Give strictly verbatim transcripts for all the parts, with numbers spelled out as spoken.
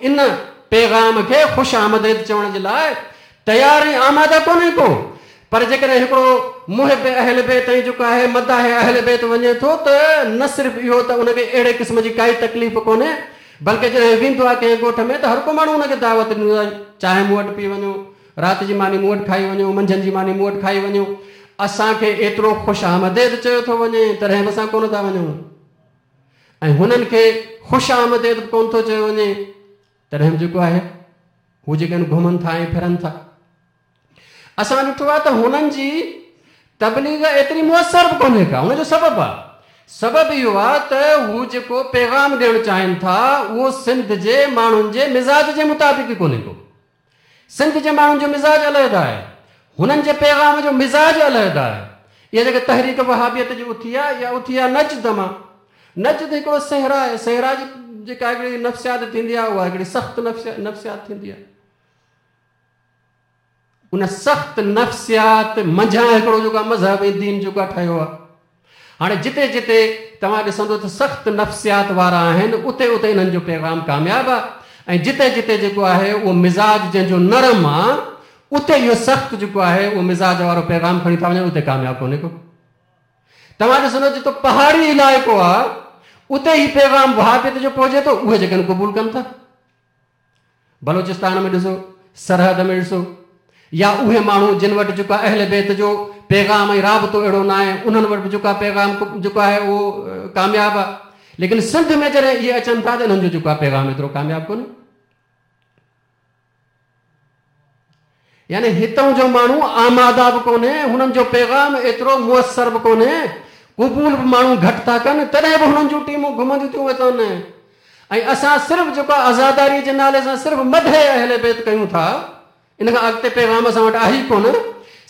ان پيغام کي خوش آمديد چوڻ جي لاء تيار ۽ آماده ڪونهي ڪو. پر جيڪڏهن هڪڙو محب اهل بيت ۽ جيڪو آهي مداح اهل بيت وڃي ٿو ته نه صرف اهو ته ان کي اهڙي قسم جي ڪائي تڪليف ڪونهي، بلڪه جڏهن ويندو آهي ڪنهن ڳوٺ ۾ ته هر ڪو ماڻهو ان کي دعوت ڏيندو آهي، چانهه مون وٽ پي وڃو، رات جي ماني مون وٽ کائي وڃو، منجهند جي ماني مون وٽ کائي وڃو. اسان کي ايترو خوش آمديد چيو ٿو وڃي تڏهن به اسان ڪونه ٿا وڃون، ۽ هنن کي خوش آمديد به ڪونه ٿو چيو وڃي تڏهن به جيڪو آهي هو جيڪي آهن گهمن ٿا ۽ ڦرن ٿا. اسان ڏٺو آهي ته هنن جي تبليغ ايتري مؤثر به ڪونهي ڪا. ان جو سبب آهي، سبب اهو آهي ته هو جيڪو پيغام ڏيڻ چاهين ٿا اهو سنڌ جي ماڻهن جي مزاج جي مطابق ئي ڪونهي ڪو. سنڌ جي ماڻهن جو مزاج علحده آهي، هنن جي پيغام جو مزاج علحده آهي. اها جيڪا تحريڪ وهابيت جي اٿي آهي اها اٿي آهي نجد مان. نجد هڪڙو صحرا آهي، صحرا جي جيڪا هڪڙي نفسيات ٿيندي آهي اها هڪڙي سخت نفسيات ٿيندي آهي. ان سخت نفسيات منجهان هڪڙو جيڪو آهي مذهب ۽ دين جيڪو آهي ٺهيو آهي. هاڻي جتي جتي توهان ڏسندو ته سخت نفسيات وارا آهن اتي اتي انهن جو پيغام ڪامياب آهي، ۽ جتي جتي جيڪو آهي اهو مزاج جنهن جو نرم آهي اتي اهو سخت جيڪو آهي اهو مزاج وارو پيغام کڻي ٿا وڃن، اتي ڪامياب ڪونهي ڪو. توهان ڏسندو جتو پهاڙي علائقو آهي اتي هي پيغام وهابيت جو پهچي ٿو، اهي جيڪي آهن قبول ڪن ٿا. بلوچستان ۾ ڏسو، سرحد ۾ ڏسو، يا اهي ماڻهو جن وٽ جيڪو اهل بيت جو پيغام ۽ رابطو اهڙو نه آهي انهن وٽ به جيڪو پيغام جيڪو آهي اهو ڪامياب آهي. ليڪن سنڌ ۾ جڏهن اهي اچن ٿا ته انهن جو جيڪو آهي پيغام ايترو ڪامياب ڪونهي. يعني هتان جو ماڻهو آماده به ڪونهي، هنن جو پيغام ايترو مؤثر به ڪونهي، قبول به ماڻهو گهٽ ٿا ڪن، تڏهن به هنن جون ٽيمون گهمنديون ٿيون وتن. ۽ اسان صرف جيڪو آزاداريءَ جي نالي سان صرف مدح اهل بيت ڪيون ٿا، ان کان اڳتي پيغام اسان وٽ آهي ئي ڪونه.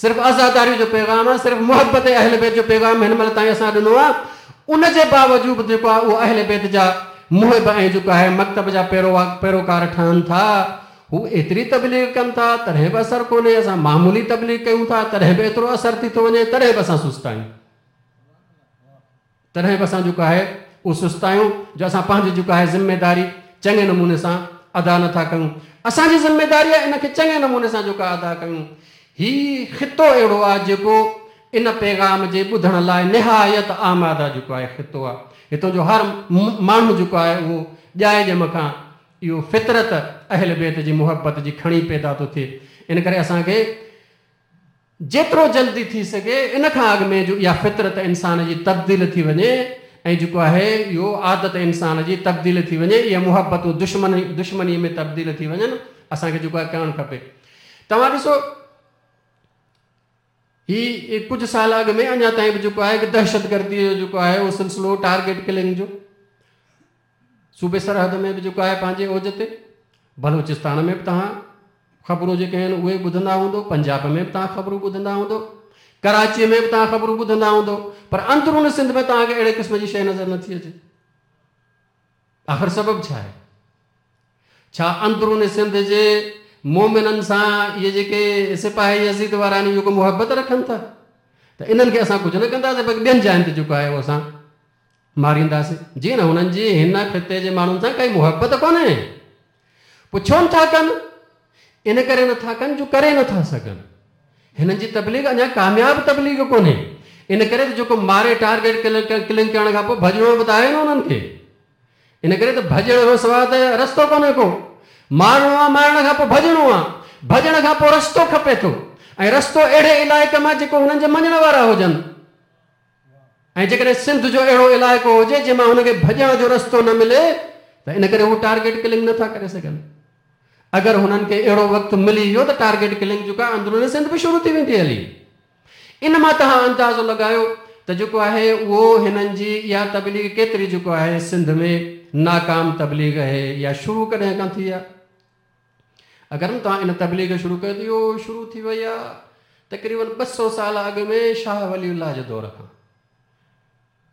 صرف آزاداريءَ جو پيغام آهي، صرف محبت اهل بيت جو پيغام هن مهل تائين اسان ڏنو آهي. ان جي باوجود جيڪو آهي اهو اهل بيت جا محب ۽ جيڪو آهي مڪتب جا پيروڪار ٺهن ٿا، هو ايتري تبليغ ڪن ٿا تڏهن به اثر ڪونهي. اسان معمولي تبليغ ڪيون ٿا تڏهن به ايترو اثر ٿي ٿو وڃي، تڏهن به اسان سست آهيون، تڏهن به اسان جيڪو آهي اهو سست آهيون جو اسان پنهنجي جيڪو آهي ذميداري چڱي نموني سان ادا نٿا ڪيون. اسان جي ذميداري آهي ان کي چڱي نموني سان جيڪو ادا ڪيون. هي خطو اهڙو آهي جيڪو ان پيغام جي ٻڌڻ لاءِ نهايت آماده جيڪو آهي خطو آهي. هتان جو هر ماڻهو جيڪو آهي اهو ڄائي ڄم کان اهو فطرت اهل بيت جي محبت جي کڻي پيدا ٿو ٿئي. ان ڪري اسان کي جيترو جلدي ٿي سگهي ان کان اڳ ۾ جو اها فطرت انسان جي تبديل ٿي وڃي ۽ جيڪو آهي اهو عادت انسان جي تبديل ٿي وڃي، اها محبتون دشمني دشمنيءَ ۾ تبديل ٿي وڃن، اسان کي جيڪو آهي ڪرڻ کپي. توهان ڏسو هي ڪجهه سال اڳ ۾ اڃا تائين به جيڪو آهي دهشتگرديءَ جو جيڪو آهي اهو سلسلو ٽارگيٽ ڪلنگ جو صوبي سرحد ۾ به جيڪو آهي پنهنجي اوج تي، بلوچستان ۾ به توهان خبرون جيڪي آهن اهي ٻڌندا هوندو، پنجاب ۾ به توهان خبرون ٻڌندا هوندو، ڪراچيءَ ۾ به توهان خبرون ٻڌندا هوندو، پر اندرون سنڌ ۾ توهان کي اهڙي قسم جي شيءِ نظر نٿي اچي. آخر سبب ڇا آهي؟ ڇا اندرون سنڌ جي مومنن سان اهي جيڪي سپاهي يزيد وارا آهن اهي ڪو محبت رکن ٿا ته انهن کي اسان ڪجهه نه ڪنداسين، بلڪه ٻين جاين تي جيڪو آهي اهو اسان مارينداسين؟ جي نه، هنن جي هن خطي جي ماڻهن سان ڪائي محبت ڪونهي. پوءِ ڇو نٿا ڪن؟ ان ڪري نٿا ڪن جو ڪري نٿا سگهن. هنن جي تبليغ اڃا ڪامياب تبليغ ڪونهي. ان ڪري ته جيڪو ماري ٽارگيٽ ڪلنگ ڪرڻ کان پوءِ ڀڄڻو به ته آهي نه هنن کي. ان ڪري ته ڀڄڻ کان سواءِ ته رستو ڪونهي ڪو. مارڻو آهي، مارڻ کان پوءِ ڀڄڻو آهي، ڀڄڻ کان پوءِ رستو کپي ٿو، ۽ رستو اهڙي علائقي مان جيڪو هنن جي مڃڻ وارا هجن. ۽ جيڪڏهن سنڌ جو اهڙو علائقو هجي جنهن مان هن کي ڀڄڻ جو رستو نه ملي ته ان ڪري هو ٽارگيٽ ڪلنگ نٿا ڪري سگهن. اگر هنن کي اهڙو وقت ملي ويو ته ٽارگيٽ ڪلنگ جيڪو آهي اندرون سنڌ به شروع ٿي ويندي هلي. ان مان توهان اندازو لڳايو ته جيڪو آهي اهو هنن جي اها تبليغ ڪيتري جيڪو آهي سنڌ ۾ ناڪام تبليغ آهي يا شروع ڪڏهن کان ٿي آهي. اگر توهان ان تبليغ شروع ڪيو ته اهو شروع ٿي وئي آهي تقريبن ٻه سؤ سال اڳ ۾ شاهه ولي الله جي دور کان.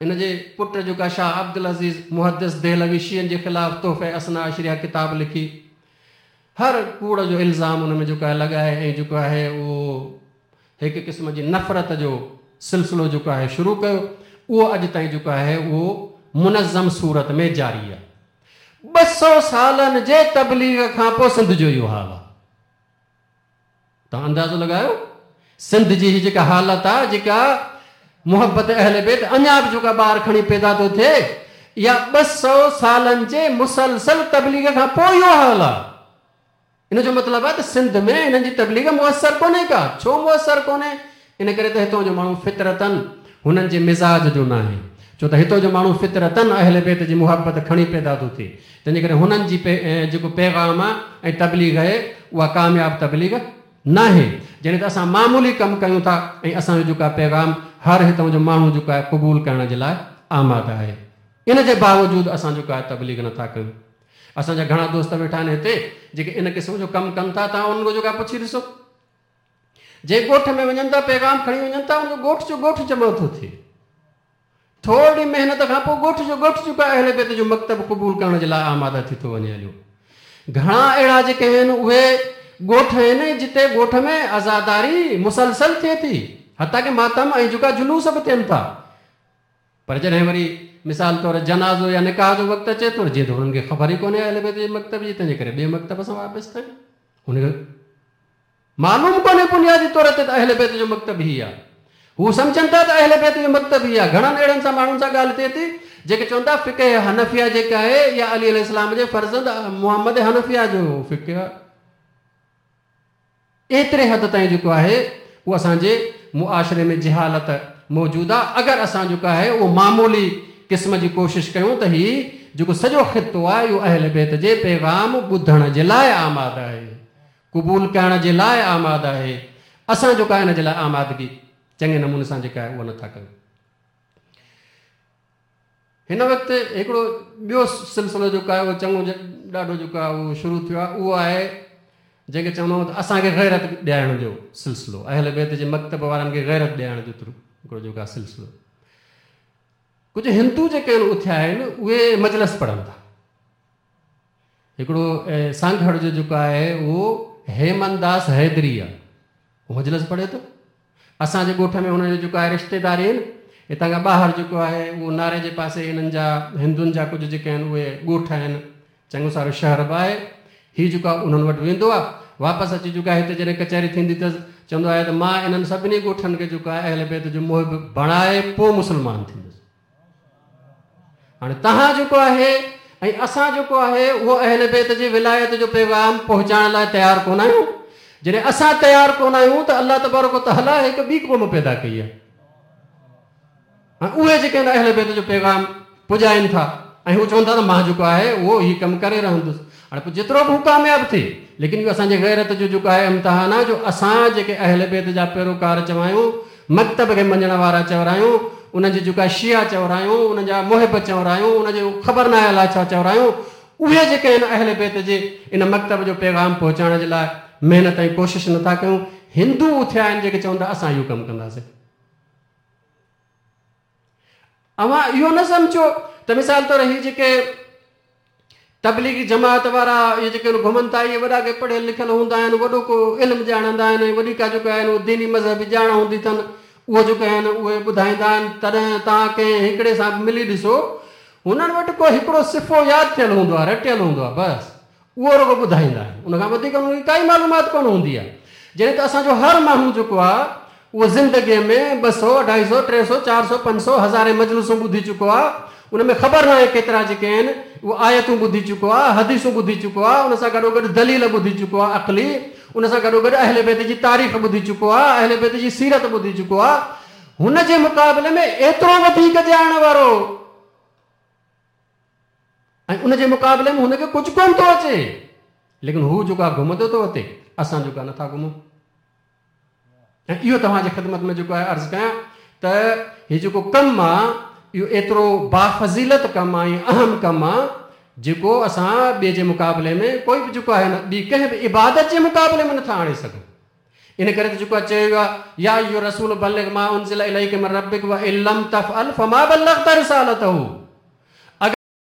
ان جي پٽ جيڪو آهي شاهه عبدل عزيز محدث دهلوي شيعن جي خلاف تحفه اثنا عشريه ڪتاب لکي هر ڪوڙ جو الزام ان ۾ جيڪو آهي لڳائي ۽ جيڪو آهي اهو هڪ قسم جي نفرت جو سلسلو جيڪو آهي شروع ڪيو، اهو اڄ تائين جيڪو آهي اهو منظم صورت ۾ جاري آهي. ٻه سؤ سالن جي تبليغ کان پوءِ سنڌ جو اهو حال آهي. توهان اندازو لڳايو سنڌ جي هيءَ جيڪا حالت آهي، جيڪا محبت اهل بيت اڃا به جيڪا ٻار کڻي پيدا ٿو ٿئي، اها ٻه سؤ سالن جي مسلسل تبليغ کان پوءِ اهو حال آهي. ان جو مطلب آهي ته سنڌ ۾ هنن جي تبليغ مؤثر ڪونهي ڪا. ڇو مؤثر ڪونهي؟ ان ڪري ته هتان جو ماڻهو فطرتن هنن جي مزاج جو نه آهي. ڇو ته هتان جو ماڻهو فطرتن اهل بيت جي محبت کڻي پيدا ٿو ٿئي، تنهن جي ڪري هنن جي جيڪو پيغام آهي ۽ تبليغ آهي اها ڪامياب تبليغ نه آهي. جڏهن ته اسان معمولي ڪم ڪيون ٿا ۽ اسان جو جيڪو آهي پيغام هر هتان جو ماڻهو جيڪو آهي قبول ڪرڻ جي لاءِ آماده آهي، ان جي باوجود اسان جيڪو آهي تبليغ نٿا ڪيون. اسان جا گهڻا دوست ويٺا آهن هتي جيڪي ان قسم جو ڪم ڪن ٿا، توهان انهن کان جيڪو آهي پڇي ڏسو. جنهن ڳوٺ ۾ وڃن ٿا پيغام کڻي وڃن ٿا، ان جو ڳوٺ جو ڳوٺ جمع ٿو ٿئي. ٿوري محنت کان پوءِ ڳوٺ جو ڳوٺ جيڪو آهي اهل بيت جو مڪتب قبول ڪرڻ جي لاءِ آماده ٿي ٿو وڃي هليو. گهڻا اهڙا جيڪي آهن اهي ڳوٺ آهن جتي ڳوٺ ۾ آزاداري مسلسل ٿئي ٿي، حتيٰ ڪه ماتم ۽ جيڪا جلوس به ٿين ٿا. پر جڏهن وري مثال طور جنازو يا نڪاح جو وقت اچي ٿو، جيئن ته هنن کي خبر ئي ڪونهي اهل بيت جي مڪتب جي، تنهن جي ڪري ٻئي مڪتب سان وابسته آهن. هن کي معلوم ڪونهي بنيادي طور تي ته اهل بيت جو مڪتب هي آهي. هو سمجهن ٿا ته اهل بيت جو مڪتب هي آهي. گهڻن اهڙن سان ماڻهن سان ڳالهه ٿئي ٿي جيڪي چون ٿا فقه حنفيه جيڪا آهي يا علي عليه السلام جي فرزند محمد حنفيه جو فقه آهي. ايتري حد تائين جيڪو آهي اهو اسان جي معاشري ۾ جهالت موجود آهي. اگر اسان جيڪو آهي اهو معمولي قسم جي ڪوشش ڪيون ته هي جيڪو سڄو خطو آهي اهو اهل بيت جي پيغام ٻڌڻ جي لاءِ آماده آهي، قبول ڪرڻ جي لاءِ آماده آهي. اسان جيڪو آهي هن جي لاءِ آمادگي چڱي نموني سان جيڪا آهي اها نٿا ڪيون. هن وقت هڪڙو ٻيو سلسلو جيڪو آهي اهو چڱو ڏاڍو جيڪو آهي اهو شروع ٿيو آهي، اهو آهي جنهن کي چوندا آهيون ته اسان کي غيرت ڏيارڻ جو سلسلو، اهل بيت جي مڪتب وارن کي غيرت ڏيارڻ جو هڪڙو جيڪو آهي سلسلو. ڪجهه هندو جيڪي آهن اٿيا آهن اهي مجلس پڙهن ٿا. هڪڙو سانگهڙ جو جيڪو آهي اهو هيمنداس حيدري آهي، اهو مجلس پڙهي ٿو. اسان جي ڳوٺ ۾ هن جو جيڪو آهي رشتيداري آهن، هتان کان ٻاهر جيڪو آهي اهو ناري جي پاسي هنن جا هندن جا ڪجهه جيڪي آهن اهي ڳوٺ آهن، چڱو سارو شهر به آهي. هيءُ جيڪو آهي انهن وٽ ويندو آهي، واپس اچي جيڪو آهي هتي جڏهن ڪچهري ٿيندي اٿس چوندو آهي ته مان انهن سڀني ڳوٺن کي جيڪو آهي اهل بيت جو محب بڻائي پوءِ مسلمان ٿيندس. هاڻي توهان جيڪو آهي ۽ اسان جيڪو آهي اهو اهل بيت جي ولايت جو پيغام پهچائڻ لاءِ تيار ڪونه آهيون. جڏهن اسان تيار ڪونه آهيون ته الله تبارڪ تعاليٰ هڪ ٻي قوم پيدا ڪئي آهي ۽ اهي جيڪي آهن اهل بيت جو پيغام پڄائين ٿا ۽ هو چون ٿا ته مان جيڪو آهي اهو هيءُ ڪم ڪري رهندس. هاڻي پوءِ جيترو به هو ڪامياب ٿئي، ليڪن اهو اسان جي غيرت جو جيڪو آهي امتحان آهي، جو اسان جيڪي اهل بيت جا پيروڪار چوايون، مڪتب کي مڃڻ وارا چورايون، انهن جي جيڪا شيا چورايون، انهن جا محب چورايون، ان جو خبر نه آهي الائي ڇا چورايون، اهي جيڪي آهن اهل بيت جي ان مڪتب جو پيغام پهچائڻ جي لاءِ محنت ۽ ڪوشش نٿا ڪيون. هندو اٿيا آهن جيڪي چون ٿا اسان اهو ڪم ڪنداسين. اوهان اهو نه سمجهو ته مثال طور هي جيڪي تبليغي جماعت وارا اهي جيڪي گهمن ٿا اهي وڏا ڪي پڙهيل لکيل هوندا آهن، وڏو ڪو علم ڄاڻندا آهن ۽ وڏي ڪا جيڪو آهن اهو ديني مذهبي ڄاڻ هوندي اٿن، اهو جيڪو آهن اهي ٻڌائيندا آهن. تڏهن توهان ڪنهن هڪڙي سان ملي ڏسو، هنن وٽ ڪو هڪڙو صفو ياد ٿيل هوندو آهي، رٽيل هوندو آهي، بس اهو رڳو ٻڌائيندا آهن، ان کان وڌيڪ هنن کي ڪائي معلومات ڪونه هوندي آهي. جڏهن ته اسان جو هر ماڻهو جيڪو آهي اهو زندگيءَ ۾ ٻه سؤ اڍائي سؤ ٽي سؤ چار سؤ پنج سؤ هزارين مجلسون ٻڌي چڪو آهي، ان ۾ خبر نه آهي ڪيترا جيڪي آهن اهو آيتون ٻڌي چڪو آهي، حديثون ٻڌي چڪو آهي، ان سان گڏو گڏ دليل ٻڌي چڪو آهي عقلي، ان سان گڏو گڏ اهل بيت جي تاريخ ٻڌي چڪو آهي، اهل بيت جي سيرت ٻڌي چڪو آهي. هن جي مقابلي ۾ ايترو وڌيڪ ڄاڻڻ وارو ۽ ان جي مقابلي ۾ هن کي ڪجهه ڪونه ٿو اچي، ليڪن هو جيڪو آهي گهمندو ٿو اچي، اسان جيڪو آهي نٿا گهمون. ۽ اهو توهان جي خدمت ۾ جيڪو آهي عرض ڪيان ته هيءُ جيڪو ڪم آهي اهو ايترو بافضيلت ڪم آهي ۽ اهم ڪم آهي جيڪو اسان ٻئي جي مقابلي ۾ ڪوئي به جيڪو آهي نه ٻي ڪنهن به عبادت جي مقابلي ۾ نٿا آڻي سگهون. ان ڪري ته جيڪو آهي چيو ويو آهي يا ايها الرسول بلغ ما انزل اليڪ من ربڪ وان لم تفعل فما بلغت رسالته.